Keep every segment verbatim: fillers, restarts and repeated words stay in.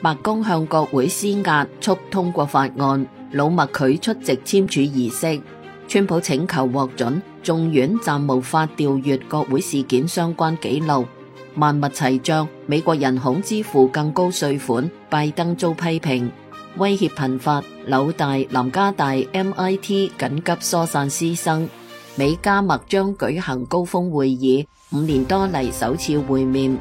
白宮向國會施壓促通過法案，老麥拒出席簽署儀式。川普請求獲准，眾院暫無法調閱國會事件相關記錄。萬物齊漲，美國人恐支付更高稅款，拜登遭批評。威脅頻發，紐大、南加大、M I T 緊急疏散師生。美加墨將舉行高峰會議，五年多嚟首次會面。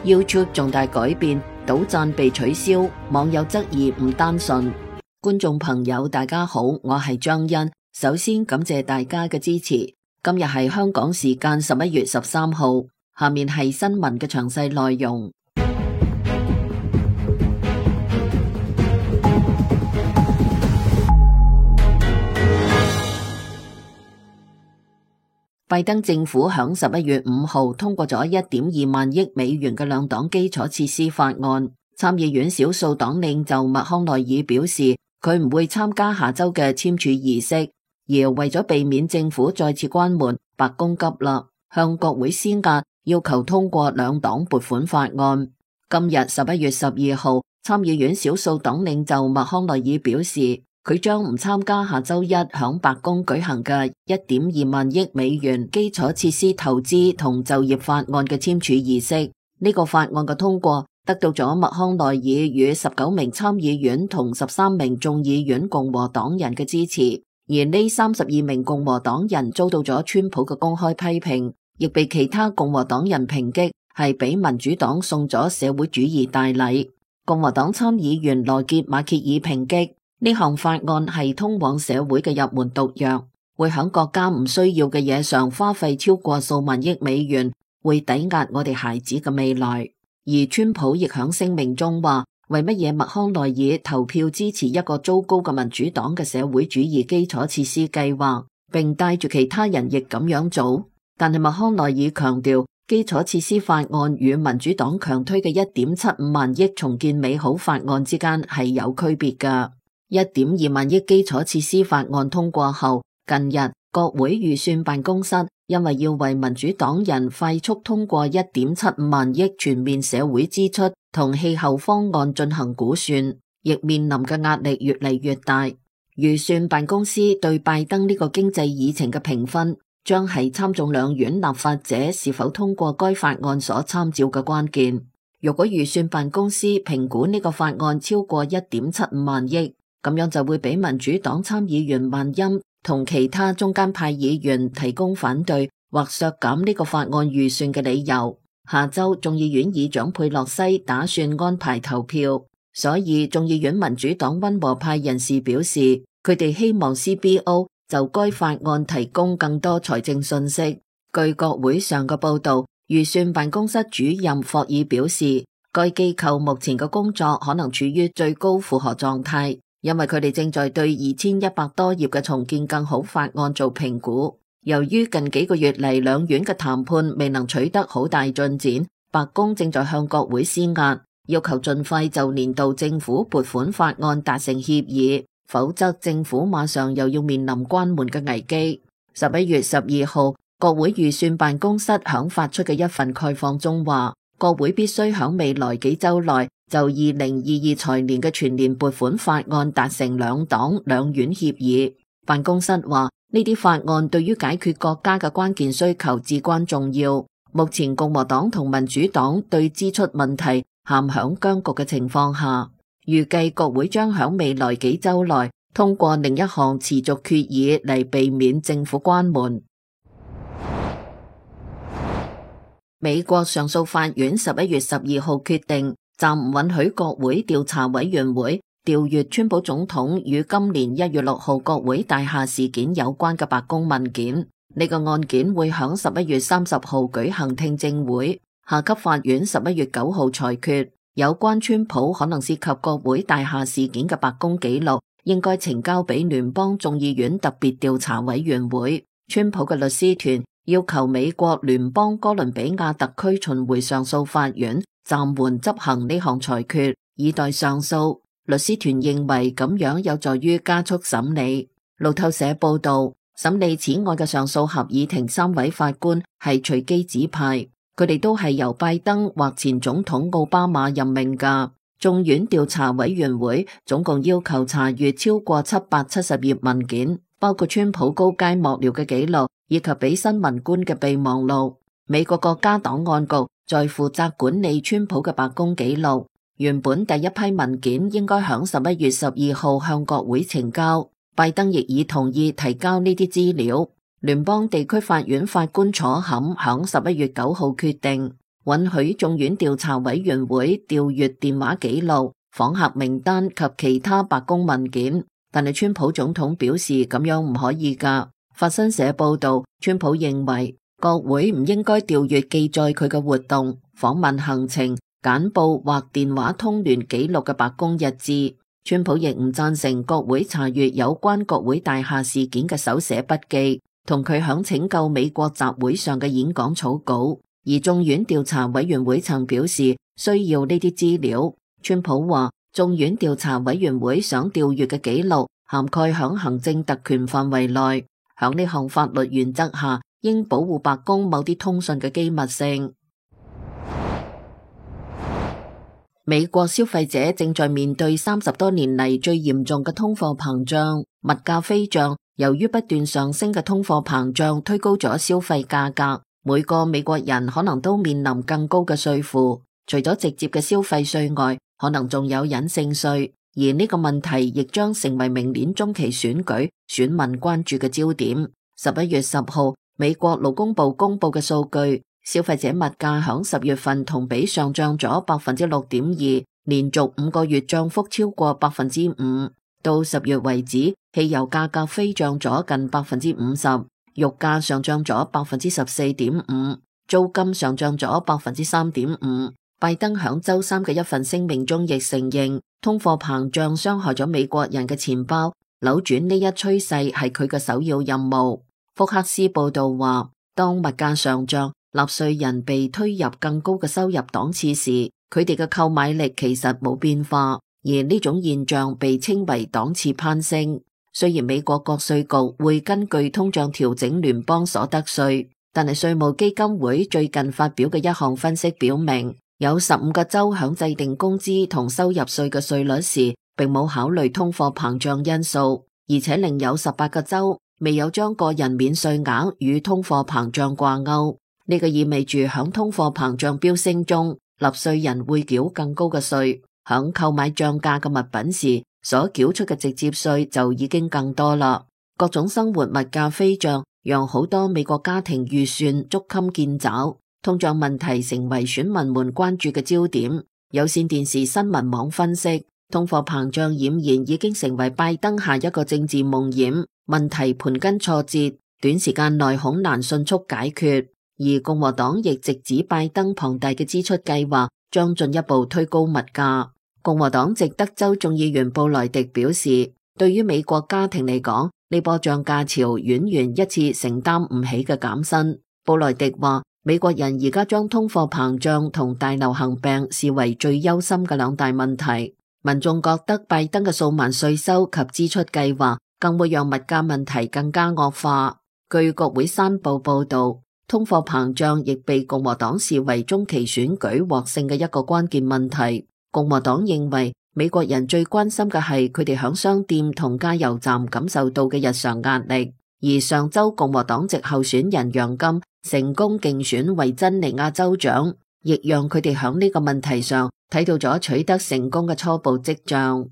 YouTube 重大改變，賭讚被取消，網友質疑唔單純。觀眾朋友大家好，我係張欣，首先感謝大家嘅支持。今日係香港時間十一月十三號，下面係新聞嘅詳細內容。拜登政府響十一月五號通過咗一點二萬億美元嘅兩黨基礎設施法案。參議院少數黨領袖麥康奈爾表示，佢唔會參加下周嘅簽署儀式，而為咗避免政府再次關門，白宮急啦，向國會施壓，要求通過兩黨撥款法案。今日十一月十二號，參議院少數黨領袖麥康奈爾表示，佢將唔參加下周一響白宮舉行嘅一點二萬億美元基礎設施投資同就業法案嘅簽署儀式。呢、這個法案嘅通過得到咗麥康奈爾與十九名參議院同十三名眾議院共和黨人嘅支持，而呢三十二名共和黨人遭到咗川普嘅公開批評，亦被其他共和黨人抨擊係俾民主黨送咗社會主義大禮。共和黨參議員羅傑馬歇爾抨擊呢項法案係通往社會嘅入門毒藥，會響國家唔需要嘅嘢上花費超過數萬億美元，會抵押我哋孩子嘅未來。而川普亦響聲明中話，為乜嘢麥康奈爾投票支持一個糟糕嘅民主黨嘅社會主義基礎設施計劃，並帶住其他人亦咁樣做。但係麥康奈爾強調，基礎設施法案與民主黨強推嘅一點七五萬億重建美好法案之間係有區別㗎。一點二萬億基礎設施法案通過後，近日國會預算辦公室因為要為民主黨人快速通過一點七五萬億全面社會支出同氣候方案進行估算，亦面臨嘅壓力越嚟越大。預算辦公司對拜登呢個經濟議程嘅評分，將係參眾兩院立法者是否通過該法案所參照嘅關鍵。如果預算辦公司評估呢個法案超過一點七五萬億，咁樣就會俾民主黨參議員萬欽同其他中間派議員提供反對或削減呢個法案預算嘅理由。下周眾議院議長佩洛西打算安排投票，所以眾議院民主黨溫和派人士表示，佢哋希望 C B O 就該法案提供更多財政信息。據國會上嘅報道，預算辦公室主任霍爾表示，該機構目前嘅工作可能處於最高負荷狀態，因為佢哋正在對二千一百多頁嘅重建更好法案做評估。由於近幾個月嚟兩院嘅談判未能取得好大進展，白宮正在向國會施壓，要求盡快就年度政府撥款法案達成協議，否則政府馬上又要面臨關門嘅危機。十一月十二號，國會預算辦公室響發出嘅一份概況中話，國會必須響未來幾週內就二零二二財年嘅全年撥款法案達成兩黨兩院協議。辦公室話，呢啲法案對於解決國家嘅關鍵需求至關重要。目前共和黨同民主黨對支出問題陷響僵局嘅情況下，預計國會將響未來幾週內通過另一項持續決議嚟避免政府關門。美國上訴法院十一月十二號決定暫唔允許國會調查委員會調閱川普總統與今年一月六號國會大廈事件有關嘅白宮文件。呢個案件會響十一月三十號舉行聽證會，下級法院十一月九號裁決有關川普可能涉及國會大廈事件嘅白宮紀錄應該呈交俾聯邦眾議院特別調查委員會。川普嘅律師團要求美國聯邦哥倫比亞特區巡迴上訴法院暫緩執行呢項裁決，以待上訴。律師團認為咁樣有助於加速審理。路透社報道，審理此案嘅上訴合議庭三位法官係隨機指派，佢哋都係由拜登或前總統奧巴馬任命㗎。眾院調查委員會總共要求查閱超過七百七十頁文件，包括川普高階幕僚嘅記錄以及俾新聞官嘅備忘錄。美國國家檔案局在負責管理川普嘅白宮記錄。原本第一批文件應該響十一月十二號向國會呈交，拜登亦已同意提交呢啲資料。聯邦地區法院法官楚坎響十一月九號決定，允許眾院調查委員會調閱電話記錄、訪客名單及其他白宮文件，但係川普總統表示咁樣唔可以㗎。法新社報道，川普認為國會唔應該調閱記載佢嘅活動、訪問行程、簡報或電話通聯記錄嘅白宮日誌。川普亦唔贊成國會查閱有關國會大廈事件嘅手寫筆記，同佢響拯救美國集會上嘅演講草稿。而眾院調查委員會曾表示需要呢啲資料。川普話，眾院調查委員會想調閱嘅記錄涵蓋響行政特權範圍內，響呢項法律原則下，應保護白宮某啲通訊嘅機密性。美國消費者正在面對三十多年嚟最嚴重嘅通貨膨脹，物價飛漲。由於不斷上升嘅通貨膨脹推高咗消費價格，每個美國人可能都面臨更高嘅稅負。除咗直接嘅消費稅外，可能仲有隱性稅，而呢個問題亦將成為明年中期選舉選民關注嘅焦點。十一月十號，美國勞工部公布嘅數據，消費者物價響十月份同比上漲咗百分之六點二，連續五個月漲幅超過百分之五。到十月為止，汽油價格飛漲咗近百分之五十，肉價上漲咗百分之十四點五，租金上漲咗百分之三點五。拜登響周三嘅一份聲明中亦承認，通貨膨脹傷害咗美國人嘅錢包，扭轉呢一趨勢係佢嘅首要任務。福克斯報道話，當物價上漲，納稅人被推入更高嘅收入檔次時，佢哋嘅購買力其實冇變化。而呢種現象被稱為檔次攀升。雖然美國國稅局會根據通脹調整聯邦所得稅，但係稅務基金會最近發表嘅一項分析表明，有十五個州響制定工資同收入稅嘅稅率時，並冇考慮通貨膨脹因素，而且另有十八個州未有將個人免稅額與通貨膨脹掛鈎。呢個意味住響通貨膨脹飆升中，納稅人會繳更高嘅稅。響購買漲價嘅物品時，所繳出嘅直接稅就已經更多啦。各種生活物價飛漲，讓好多美國家庭預算捉襟見肘，通脹問題成為選民們關注嘅焦點。有線電視新聞網分析，通貨膨脹儼然已經成為拜登下一個政治夢魘，問題盤根錯節，短時間內恐難迅速解決。而共和黨亦直指拜登龐大嘅支出計劃將進一步推高物價。共和黨籍德州眾議員布萊迪表示，對於美國家庭嚟講，呢波漲價潮遠遠一次承擔唔起嘅減薪。布萊迪話，美國人而家將通貨膨脹同大流行病視為最憂心嘅兩大問題。民眾覺得拜登嘅數萬稅收及支出計劃更會讓物價問題更加惡化。據國會山報報道，通貨膨脹亦被共和黨視為中期選舉獲勝嘅一個關鍵問題。共和黨認為美國人最關心嘅係佢哋響商店同加油站感受到嘅日常壓力，而上周共和黨籍候選人楊金成功競選維珍尼亞州長，亦讓佢哋響呢個問題上睇到咗取得成功嘅初步跡象。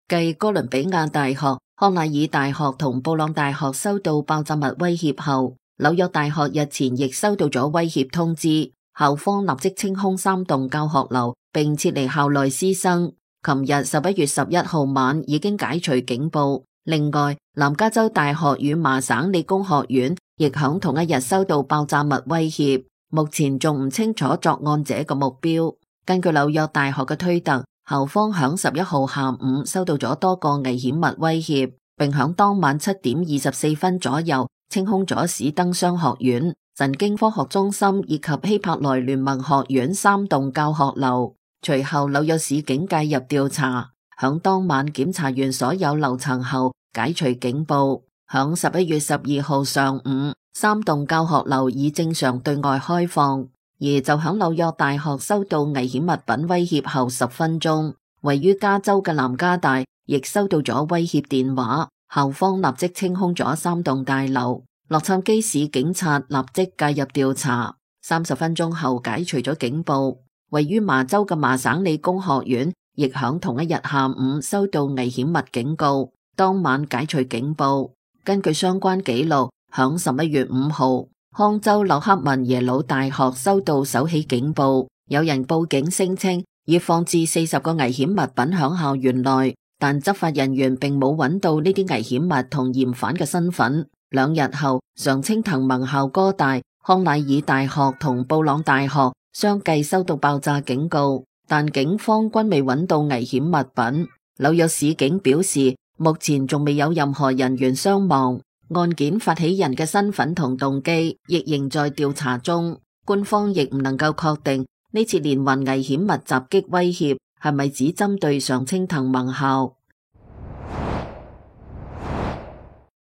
繼哥倫比亞大學、康乃爾大學同布朗大學收到爆炸物威脅後，紐約大學日前亦收到咗威脅通知。校方立即清空三棟教學樓，並撤離校內師生。琴日十一月十一號晚已經解除警報。另外，南加州大學與麻省理工學院亦響同一日收到爆炸物威脅，目前仲唔清楚作案者嘅目標。根據紐約大學嘅推特，校方響十一號下午收到咗多個危險物威脅，並響當晚七點二十四分左右清空咗史登商學院、神經科學中心以及希伯來聯盟學院三棟教學樓。隨後紐約市警介入調查，響當晚檢查完所有樓層後解除警報。響十一月十二號上午，三棟教學樓已正常對外開放。而就響紐約大學收到危險物品威脅後十分鐘，位於加州嘅南加大亦收到咗威脅電話，校方立即清空咗三棟大樓。洛杉磯市警察立即介入調查，三十分鐘後解除咗警報。位於麻州嘅麻省理工學院亦響同一日下午收到危險物警告，當晚解除警報。根據相關記錄，響十一月五號，康州洛克文耶魯大學收到首起警報，有人報警聲稱已放置四十個危險物品響校園內，但執法人員並冇揾到呢啲危險物同嫌犯嘅身份。兩日後，常青藤盟校哥大、康乃爾大學同布朗大學相繼收到爆炸警告，但警方均未揾到危險物品。紐約市警表示，目前仲未有任何人員傷亡，案件發起人嘅身份同動機亦仍在調查中。官方亦唔能夠確定呢次連環危險物襲擊威脅係咪只針對常青藤盟校。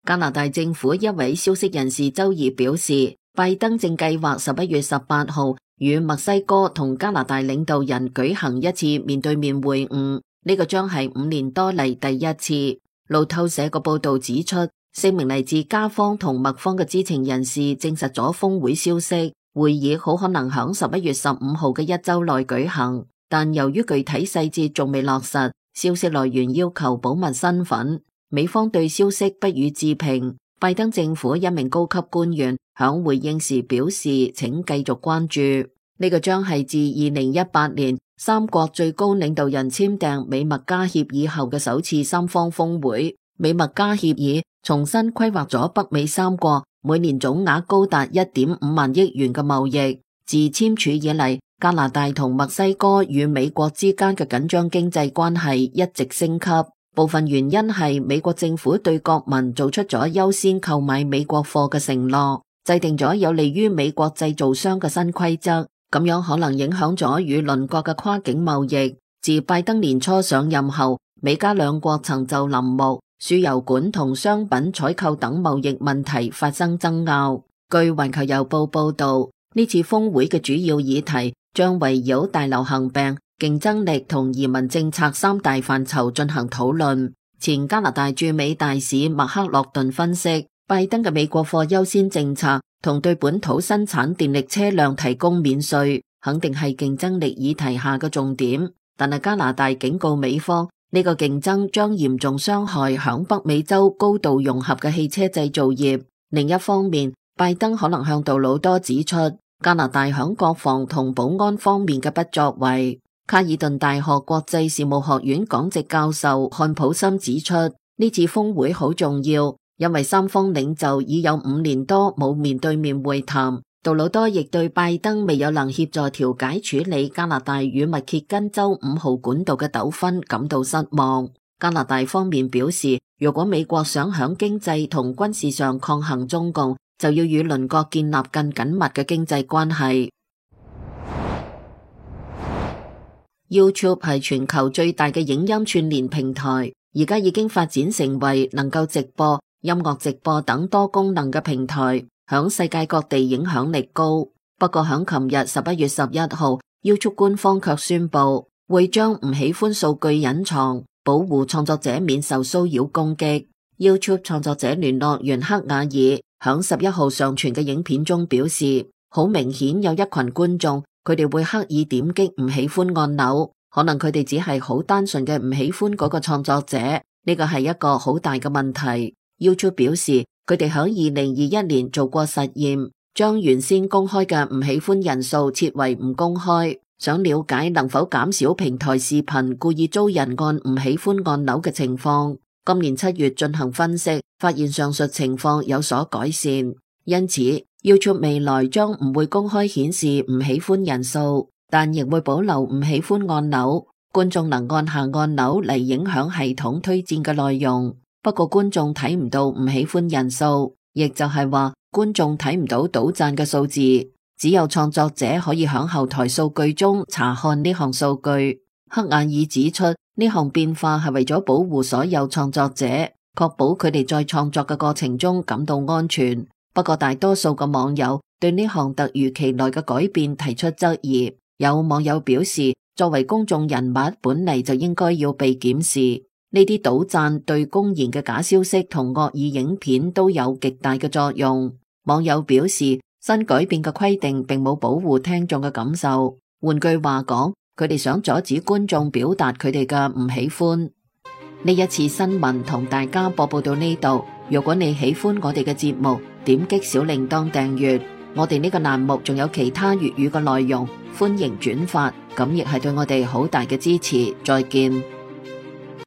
加拿大政府一位消息人士周二表示，拜登正計劃十一月十八號與墨西哥同加拿大領導人舉行一次面對面會晤，呢個將係五年多嚟第一次。路透社個報道指出，四名嚟自加方同墨方嘅知情人士證實咗峰會消息，會議好可能響十一月十五號嘅一周內舉行，但由於具體細節仲未落實，消息來源要求保密身份。美方對消息不予置評。拜登政府一名高級官員響回應時表示，請繼續關注。呢個將係自二零一八年三國最高領導人簽訂美墨加協議後嘅首次三方峰會。美墨加協議重新規劃咗北美三國每年總額高達一點五萬億元嘅貿易。自簽署以嚟，加拿大同墨西哥與美國之間嘅緊張經濟關係一直升級。部分原因係美國政府對國民做出咗優先購買美國貨嘅承諾，制定咗有利於美國製造商嘅新規則，咁樣可能影響咗與鄰國嘅跨境貿易。自拜登年初上任後，美加兩國曾就林木、輸油管同商品採購等貿易問題發生爭拗。據環球郵報報道，呢次峰會嘅主要議題將圍繞大流行病、競爭力同移民政策三大範疇進行討論。前加拿大駐美大使麥克洛頓分析，拜登嘅美國貨優先政策同對本土生產電力車輛提供免稅，肯定係競爭力議題下嘅重點。但係加拿大警告美方，呢個競爭將嚴重傷害響北美洲高度融合嘅汽車製造業。另一方面，拜登可能向杜魯多指出加拿大響國防同保安方面嘅不作為。卡爾頓大學國際事務學院講席教授漢普森指出，呢次峰會好重要，因為三方領袖已有五年多冇面對面會談。杜魯多亦對拜登未有能協助調解處理加拿大與密歇根州五號管道嘅糾紛感到失望。加拿大方面表示，如果美國想響經濟同軍事上抗衡中共，就要與鄰國建立更緊密嘅經濟關係。YouTube 係全球最大嘅影音串聯平台，而家已經發展成為能夠直播、音樂直播等多功能嘅平台，響世界各地影響力高。不過響琴日十一月十一號 YouTube 官方卻宣布會將唔喜歡數據隱藏，保護創作者免受騷擾攻擊。YouTube 創作者聯絡員克雅爾響十一號上傳嘅影片中表示，好明顯有一群觀眾，佢哋會刻意點擊唔喜歡按鈕，可能佢哋只係好單純嘅唔喜歡嗰個創作者，呢個係一個好大嘅問題。YouTube 表示，佢哋響二零二一年做過實驗，將原先公開嘅唔喜歡人數設為唔公開，想了解能否減少平台視頻故意遭人按唔喜歡按鈕嘅情況。今年七月進行分析，發現上述情況有所改善，因此YouTube 未來將唔會公開顯示唔喜歡人數，但亦會保留唔喜歡按鈕，觀眾能按下按鈕嚟影響系統推薦嘅內容。不過觀眾睇唔到唔喜歡人數，亦就係話觀眾睇唔到倒讚嘅數字，只有創作者可以響後台數據中查看呢項數據。克雅爾指出，呢項變化係為咗保護所有創作者，確保佢哋在創作嘅過程中感到安全。不過大多數嘅網友對呢項突如其來嘅改變提出質疑。有網友表示，作為公眾人物，本嚟就應該要被檢視。呢啲倒讚對公然嘅假消息同惡意影片都有極大嘅作用。網友表示，新改變嘅規定並冇保護聽眾嘅感受。換句話講，佢哋想阻止觀眾表達佢哋嘅唔喜歡。呢一次新聞同大家播報到呢度。如果你喜歡我哋嘅節目，點擊小鈴鐺訂閱。我哋呢個欄目仲有其他粵語嘅內容，歡迎轉發，咁亦係對我哋好大嘅支持。再見。